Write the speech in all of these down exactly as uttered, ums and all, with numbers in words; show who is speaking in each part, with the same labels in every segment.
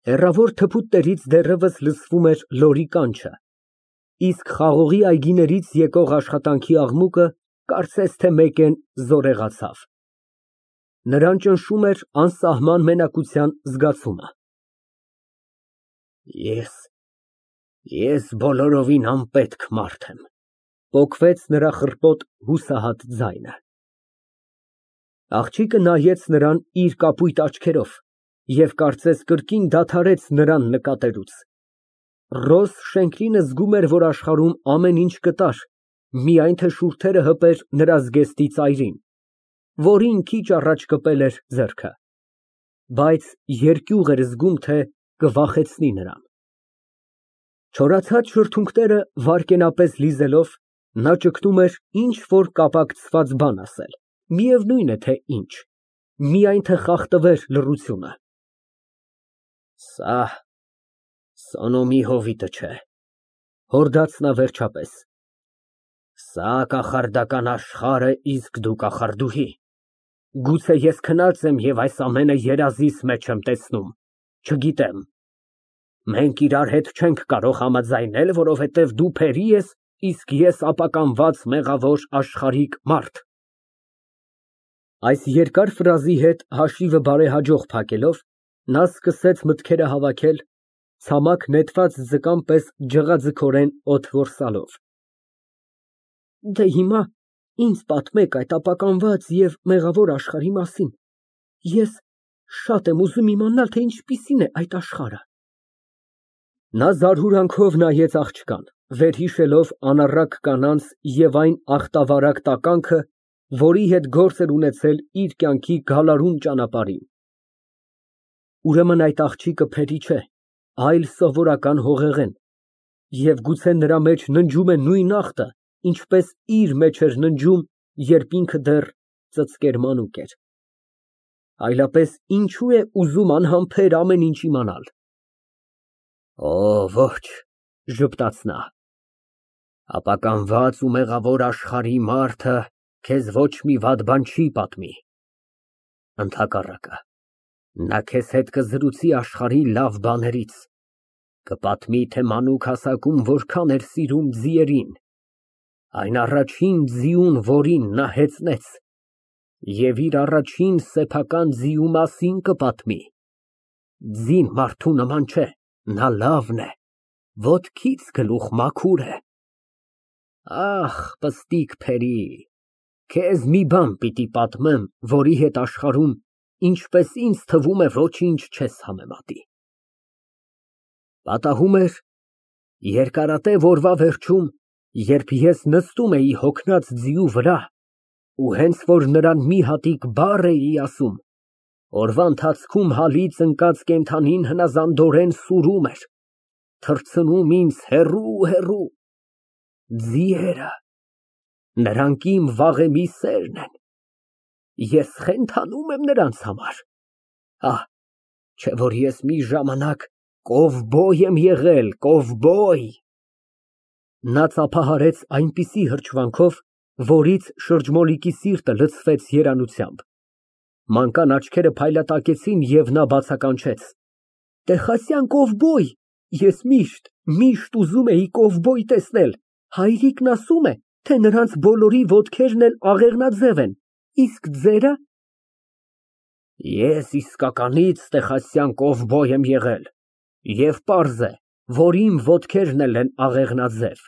Speaker 1: Հեռավոր թփուտներից դեռևս լսվում էր լորի կանչը, իսկ խաղողի այգիներից եկող աշխատանքի աղմուկը կարծես թե մեկեն զորեղացավ։ Նրան ճնշում էր անսահման մենակության զգացումը։ Ես, ես բոլորովին անպետք մարդ եմ, պոկվեց նրա խռպոտ հուսահատ ձայնը։ Աղջիկը նայեց նրան իր կապույտ աչքերով և կարծես կրկին դադարեց նրան նկատելուց։ Ռոզ Շենքլինը զգում էր, որ աշխարհում ամեն ինչ կտար, միայն թե շուրթերը հպեր նրա զգեստի ծայրին, որին քիչ առաջ կպել էր ձեռքը, բայց երկյուղ էր զգում, թե կվախեցնի նրան։ Չորացած շրթունքները վայրկենապես լիզելով, նա ճգնում էր ինչ֊որ կապակցված բան ասել, միևնույն է թե ինչ, միայն թե խախտվեր լռությունը։ Սա Սոնոմի հովիտը չէ, հորդաց նա վերջապես, սա կախարդական աշխարհ է, իսկ դու կախարդուհի, գուցե ես քնած եմ և այս ամենը երազիս մեջ եմ տեսնում, չգիտեմ, մենք իրար հետ չենք կարող համաձայնել, որովհետև դու փերի ես, իսկ ես ապականված մեղավոր աշխարհիկ մարդ։ Այս երկար ֆրազի հետ հաշիվը բարեհաջող փակելով, նա սկսեց մտքերը հավաքել, ցամաք նետված ձկան պես ջղաձգորեն օդ որսալով։ Դե հիմա ինձ պատմեք այդ ապականված և մեղավոր աշխարհի մասին, ես շատ եմ ուզում իմանալ, թե ինչպիսին է այդ աշխարհը։ Նա զարհուրանքով նայեց աղջկան, վերհիշելով անառակ կանանց և այն ախտավարակ տականքը, որի հետ գործ էր ունեցել իր կյանքի գալարուն ճանապարհին։ Ուրեմն այդ աղջիկը փերի չէ, այլ սովորական հողեղեն, և գուցե նրա մեջ ննջում է նույն ախտը, ինչպես իր մեջ էր ննջում, երբ ինքը դեռ ծծկեր մանուկ էր։ Այլապես ինչու է ուզում անհամբեր ամեն ինչ իմանալ։ Օ, ոչ, ժպտաց նա, ապականված ու մեղավոր աշխարհի մարդը քեզ ոչ մի վատ բան չի պատմի, ընդհակառակը, նա քեզ հետ կզրուցի աշխարհի լավ բաներից, կպատմի, թե մանուկ հասակում որքան էր սիրում ձիերին, այն առաջին ձիուն, որին նա հեծնեց, և իր առաջին սեփական ձիու մասին կպատմի, ձին մարդու նման չէ, նա լավն է, ոտքից գլուխ մաքուր է։ Ախ, պստիկ փերի, քեզ մի բան պիտի պատմեմ, որի հետ աշխարհում, ինչպես ինձ թվում է, ոչինչ չես համեմատի։ Պատահում էր երկարատև օրվա վերջում, երբ ես նստում էի հոգնած ձիու վրա, ու հենց որ նրան մի հատիկ բառ էի ասում, օրվա ընթացքում հալից ընկած կենդանին հնազանդորեն սուրում էր, թռցնում ինձ հեռու֊հեռու։ Ձիերը, նրանք իմ վաղեմի սերն են, ես խենթանում եմ նրանց համար, ահ, չէ որ ես մի ժամանակ կովբոյ եմ եղել, կովբոյ։ Նա ծափահարեց այնպիսի հրճվանքով, որից շրջմոլիկի սիրտը լցվեց երանությամբ, մանկան աչքերը փայլատակեցին և նա բացականչեց. Տեխասյան կովբոյ, ես միշտ, միշտ ուզում էի կովբոյ տեսնել, հայրիկն ասում է, թե նրանց բոլորի ոտքերն էլ աղեղնաձև են, իսկ ձերը։ Ես իսկականից տեխասյան կովբոյ եմ եղել, և պարզ է, որ իմ ոտքերն էլ են աղեղնաձև։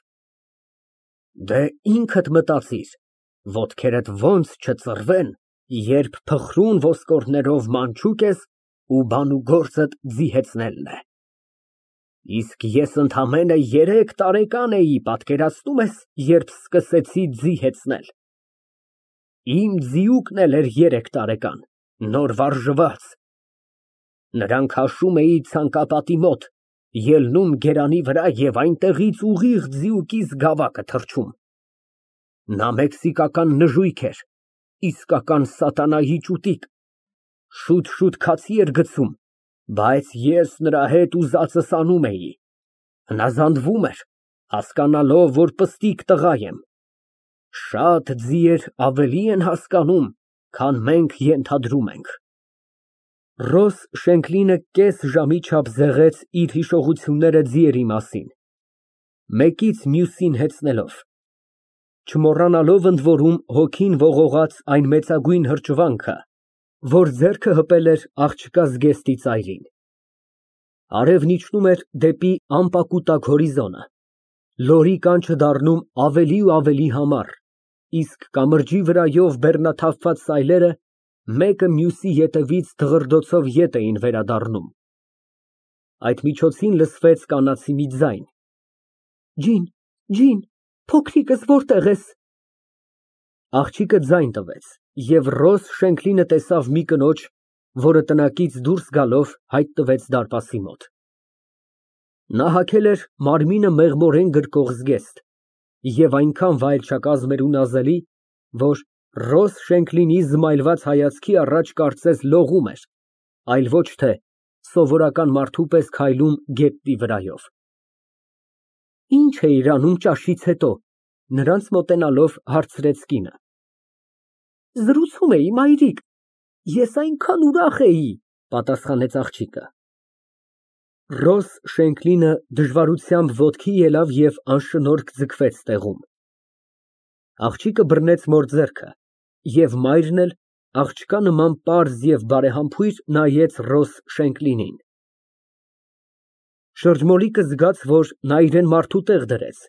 Speaker 1: Դե ինքդ մտածիր, ոտքերդ ոնց չծռվեն, երբ փխրուն ոսկորներով մանչուկ ես ու բանուգործդ ձի հեծնելն է։ Իսկ ես ընդամենը երեք տարեկան էի, պատկերացնում ես, երբ սկսեցի ձի հեծնել։ Իմ ձիուկն էլ էր երեք տարեկան, նոր վարժված։ Նրան քաշում էի ցանկապատի մոտ, ելնում գերանի վրա և այնտեղից ուղիղ ձիուկիս գավակը թռչում։ Նա մեքսիկական նժույգ էր, իսկական սատանայի ճուտիկ, շուտ֊շուտ քացի էր գցում, բայց ես նրա հետ ուզածս անում էի, հնազանդվում էր, հասկանալով, որ պստիկ տղա եմ։ Շատ ձիեր ավելի են հասկանում, քան մենք ենթադրում ենք։ Ռոս Շենքլինը կես ժամի չափ զեղեց իր հիշողությունները ձիերի մասին, մեկից մյուսին հեծնելով, չմոռանալով ընդ որում հոգին ողողած այն մեծագույն հրճվանքը, որ ձեռքը հպել էր աղջկա զգեստի ծայրին։ Արևն իջնում էր դեպի անպակուտակ հորիզոնը, լորի կանչը դառնում ավելի ու ավելի համառ, իսկ կամրջի վրայով բեռնաթափված սայլերը մեկը մյուսի ետևից դղրդոցով ետ էին վերադառնում։ Այդ միջոցին լսվեց կանացի մի ձայն. Ջին, ջին, փոքրիկս որտե՞ղ ես։ Աղջիկը ձայն տվեց, և Ռոս Շենքլինը տեսավ մի կնոջ, որը տնակից դուրս գալով հայտնվեց դարպասի մոտ։ Նա հագել էր մարմինը մեղմորեն գրկող զգեստ և այնքան վայելչակազմ էր ու նազելի, որ Ռոս Շենքլինի զմայլված հայացքի առաջ կարծես լողում էր, այլ ոչ թե սովորական մարդու պես քայլում գետնի վրայով։ Ի՞նչ էիր անում ճաշից հետո, նրանց մոտենալով հարցրեց կինը։ Զրուցում էի, մայրիկ, ես այնքան ուրախ էի, պատասխանեց աղջիկը։ Ռոս Շենքլինը դժվարությամբ ոտքի ելավ և անշնորհք ձգվեց տեղում։ Աղջիկը բռնեց մոր ձեռքը, և մայրն էլ աղջկա նման պարզ և բարեհամբույր նայեց Ռոս Շենքլինին։ Շրջմոլիկը զգաց, որ նա իրան մարդու տեղ դրեց,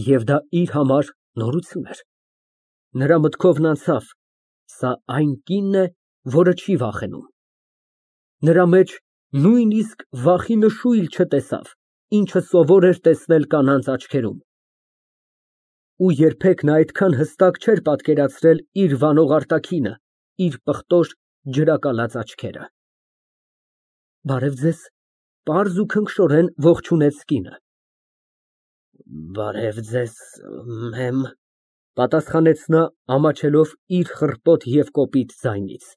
Speaker 1: և դա իր համար նորություն էր։ Նրա մտքովն անցավ. սա այն կինն է, որը չի վախենում։ Նրա մեջ նույնիսկ վախի նշույլ չտեսավ, ինչը սովոր էր տեսնել կանանց աչքերում։ Ու երբեք նա այդքան հստակ չէր պատկերացրել իր վանող արտաքինը, իր պղտոր, ջրակալած աչքերը։ Բարև ձեզ, պարզ ու քնքշորեն ողջունեց կինը։ Բարև ձեզ, մեմ, պատասխանեց նա, ամաչելով իր խռպոտ և կոպիտ ձայնից։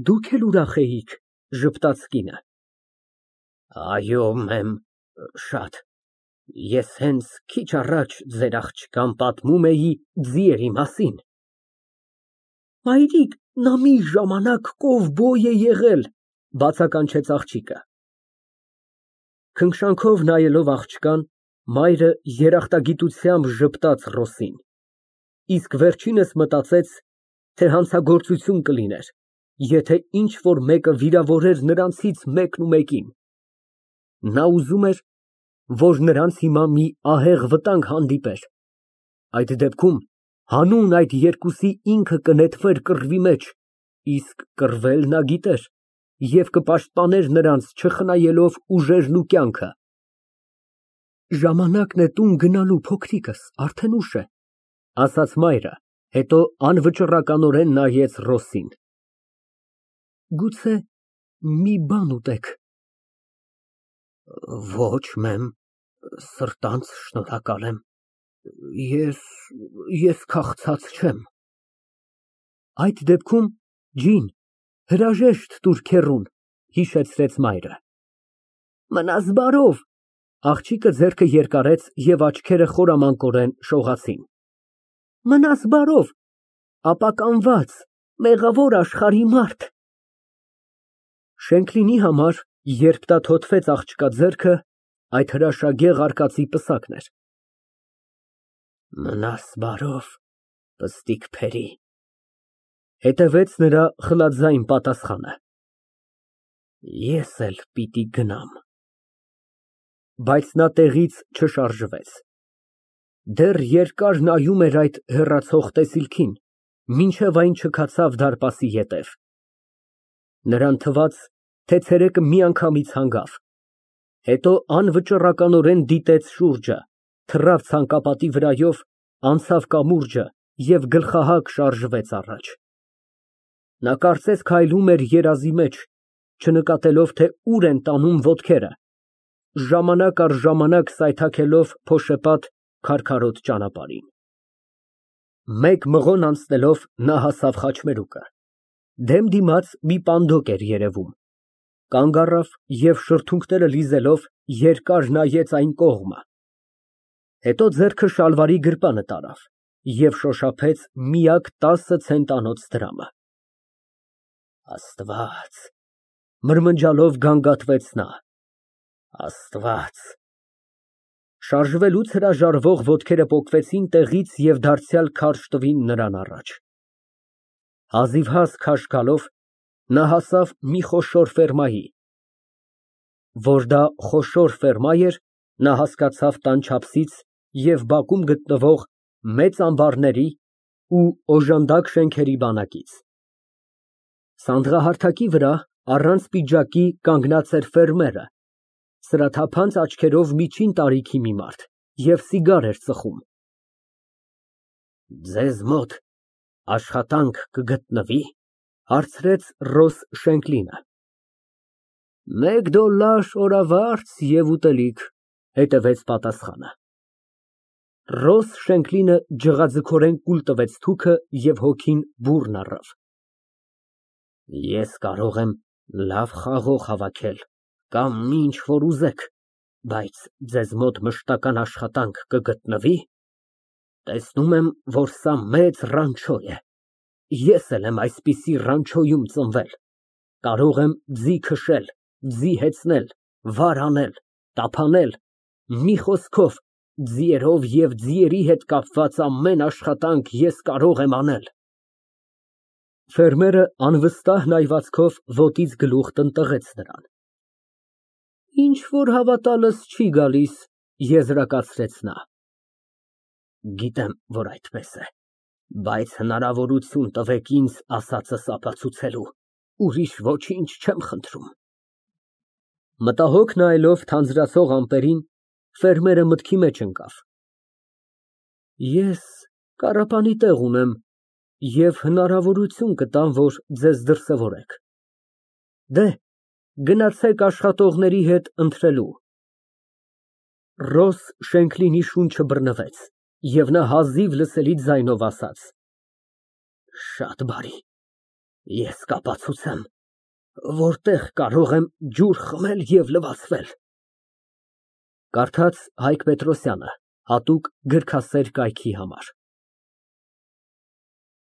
Speaker 1: Դուք էլ ուրախ էիք, ժպտաց կինը։ Այո, մեմ, շատ, ես հենց քիչ առաջ ձեր աղջկան պատմում էի ձիերի մասին։ Մայրիկ, նա մի ժամանակ կովբոյ է եղել, բացականչեց աղջիկը։ Քնքշանքով նայելով աղջկան, մայրը երախտագիտությամբ ժպտաց Ռոսին, իսկ վերջինս մտածեց, թե հանցագործություն կլիներ, եթե ինչ֊որ մեկը վիրավորեր նրանցից մեկն ու մեկին։ Նա ուզում էր, որ նրանց հիմա մի ահեղ վտանգ հանդիպեր, այդ դեպքում հանուն այդ երկուսի ինքը կնետվեր կռվի մեջ, իսկ կռվել նա գիտեր և կպաշտպաներ նրանց, չխնայելով ուժերն ու կյանքը։ Ժամանակն է տուն գնալու, փոքրիկս, արդեն ուշ է, ասաց մայրը, հետո անվճռականորեն նայեց Ռոսին։ Գուցե մի բան ուտեք։ Ոչ, մեմ, սրտանց շնորհակալ եմ, ես, ես քաղցած չեմ։ Այդ դեպքում ջին, հրաժեշտ տուր քեռուն, հիշեցրեց մայրը։ Մնաս բարով, աղջիկը ձեռքը երկարեց և աչքերը խորամանկորեն շողացին։ Մնաս բարով, ապականված, մեղավոր աշխարհի մարդ։ Շենքլինի համար, երբ նա թոթվեց աղջկա ձեռքը, այդ հրաշագեղ արկածի պսակն էր։ Մնաս բարով, պստիկ փերի, հետևեց նրա խլաձայն պատասխանը։ Ես էլ պիտի գնամ։ Բայց նա տեղից չշարժվեց։ Դեռ երկար նայում էր այդ հեռացող տեսիլքին, մինչև այն չքացավ դարպասի ետև։ Նրան թվաց, թե ցերեկը միանգամից հանգավ, հետո անվճռականորեն դիտեց շուրջը, թռավ ցանկապատի վրայով, անցավ կամուրջը և գլխահակ շարժվեց առաջ։ Նա կարծես քայլում էր երազի մեջ, չնկատելով, թե ուր են տանում ոտքերը, ժամանակ առ ժամանակ սայթաքելով փոշեպատ քարքարոտ ճանապարհին։ Մեկ մղոն անցնելով նա հասավ խաչմերուկը։ Դեմ դիմաց մի պանդոկ էր երևում, կանգ առավ և շրթունքները լիզելով երկար նայեց այն կողմը, հետո ձեռքը շալվարի գրպանը տարավ և շոշափեց միակ տասը ցենտանոց դրամը։ Աստված, Մրմնջալով գանգատվեց նա։ Աստված։ Շարժվելուց հրաժարվող ոտքերը պոկվեցին տեղից և դարձյալ քարշ տվին նրան առաջ։ Հազիվհազ քաշ գալով, նա հասավ մի խոշոր ֆերմայի։ Որ դա խոշոր ֆերմա էր, նա հասկացավ տան չափսից և բակում գտնվող մեծ ամբարների ու օժանդակ շենքերի բանակից։ Սանդղահարթակի վրա, առանց պիջակի, կանգնած էր ֆերմերը, սրաթափանց աչքերով միջին տարիքի մի մարդ և սիգար էր ծխում։ Ձեզ մոտ աշխատանք կգտնվի՞, հարցրեց Ռոս Շենքլինը։ Մեկ դոլլար օրավարձ և ուտելիք, հետևեց պատասխանը։ Ռոս Շենքլինը ջղաձգորեն կուլ տվեց թուքը և հոգին բուռն առավ։ Ես կարող եմ լավ խաղող հավաքել կամ մի ինչ որ ուզեք, բայց ձեզ մոտ մշտական աշխատանք կգտնվի՞։ Տեսնում եմ, որ սա մեծ ռանչո է։ Ես էլ եմ այսպիսի ռանչոյում ծնվել, կարող եմ ձի քշել, ձի հեծնել, վար անել, տափանել, մի խոսքով, ձիերով և ձիերի հետ կապված ամեն աշխատանք ես կարող եմ անել։ Ֆերմերը անվստահ նայվածքով ոտից գլուխ տնտղեց նրան։ Ինչ որ հավատալս չի գալիս, եզրակացրեց նա։ Գիտեմ, որ այդպես է, բայց հնարավորություն տվեք ինձ ասածս ապացուցելու, ուրիշ ոչինչ չեմ խնդրում։ Մտահոգ նայելով թանձրացող ամպերին, ֆերմերը մտքի մեջ ընկավ։ Ես կառապանի տեղ ունեմ և հնարավորություն կտամ, որ ձեզ դրսևորեք։ Դեհ, գնացեք աշխատողների հետ ընթրելու։ Ռոս Շենքլինի շունչը բռնվեց, և նա հազիվ լսելի ձայնով ասաց. Շատ բարի, ես կապացուցեմ, որտեղ կարող եմ ջուր խմել և լվացվել։ Կարդաց Հայկ Պետրոսյանը, հատուկ գրքասեր կայքի համար։